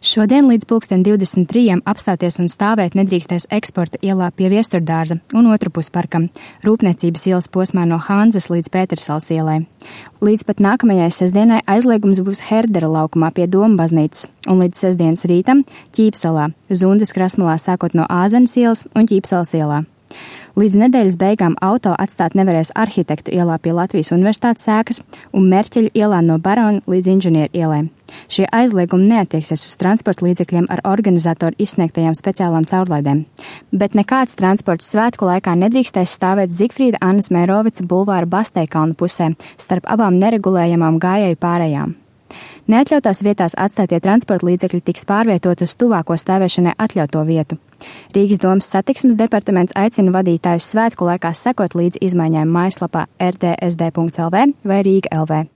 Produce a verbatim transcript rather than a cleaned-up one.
Šodien līdz pulksten divdesmit trijiem apstāties un stāvēt nedrīkstēs Eksporta ielā pie Viesturdārza un Otrupus parkam, Rūpniecības ielas posmā no Hanzas līdz Pētersalas ielai. Līdz pat nākamajai sestdienai aizliegums būs Herdera laukumā pie Doma baznīcas un līdz sestdienas rītam Ķīpsalā, Zundas krastmalā sākot no Āzenes ielas un Ķīpsalas ielā. Līdz nedēļas beigām auto atstāt nevarēs Arhitektu ielā pie Latvijas Universitātes ēkas un Merķeļa ielā no Barona līdz Inženieru ielai. Šie aizliegumi neatieksies uz transporta līdzekļiem ar organizatoru izsniegtajām speciālām caurlaidēm, bet nekāds transports svētku laikā nedrīkstēs stāvēt Zigfrīda Annas Mērovica bulvāra Basteikalna pusē starp abām neregulējamām gājēju pārējām. Neatļautās vietās atstātie transporta līdzekļi tiks pārvietot uz tuvāko stāvēšanai atļauto vietu. Rīgas domas satiksmes departaments aicina vadītājus svētku laikā sekot līdz izmaiņām mājaslapā r t s d punkts l v vai Rīga punkt l v.